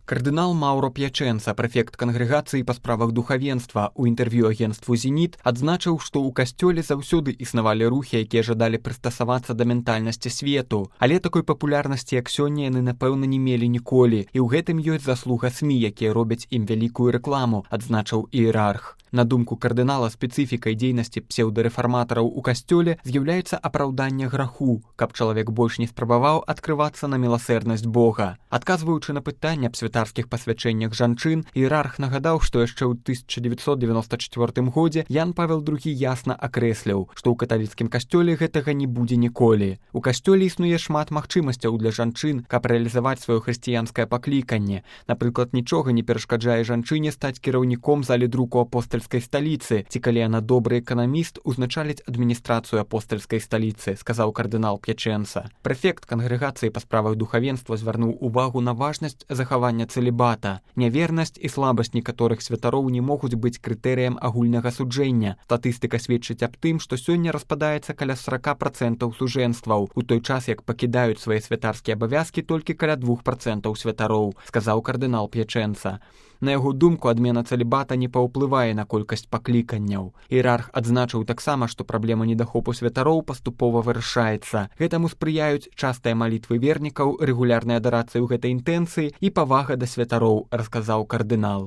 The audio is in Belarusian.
Кардынал Маўро П'ячэнца, прэфект кангрэгацыі па справах духавенства, у інтэрв'ю агенцтву «Зеніт» адзначыў, што ў касцёле заўсёды існавалі рухі, якія жадалі прыстасавацца да ментальнасці свету. Але такой папулярнасці, як сёння, яны, напэўна, не мелі ніколі. І ў гэтым ёсць заслуга СМІ, якія робяць ім вялікую рэкламу, адзначыў іерарх. На думку кардынала, спецыфікай дзейнасці псеўдарэфарматараў у касцёле з'яўляецца апраўданне граху, каб чалавек больш не спрабаваў адкрывацца на міласэрнасць Бога. Адказваючы на пытанне аб святарскіх пасвячэннях жанчын, іерарх нагадаў, што яшчэ ў 1994 годзе Ян Павел II ясна акрэсліў, што ў каталіцкім касцёле гэтага не будзе ніколі. У касцёле існуе шмат магчымасцяў для жанчын, каб рэалізаваць сваё хрысціянскае пакліканне. Напрыклад, нічога не перашкаджае жанчыне стаць кіраўніком залі друку апостальскай сталіцы, ці калі яна добры эканаміст, узначаліць адміністрацыю апостальскай сталіцы, сказаў кардынал П'ячэнца. Прэфект кангрэгацыі па справах духавенства звярнуў увагу на важнасць захавання цэлібата. Нявернасць і слабасць некаторых святароў не могуць быць крытэрыем агульнага суджэння. Статыстыка сведчыць аб тым, што сёння распадаецца каля 40% сужэнстваў, у той час як пакідаюць свае святарскія абавязкі толькі каля 2% святароў, сказаў кардынал П'ячэнца. На яго думку, адмена цэлібата не паўплывае на колькасць пакліканняў. Іерарх адзначыў таксама, што праблема недахопу святароў паступова вырашаецца. Гэтаму спрыяюць частыя малітвы вернікаў, рэгулярная адарацыя ў гэтай інтэнцыі і павага да святароў, расказаў кардынал.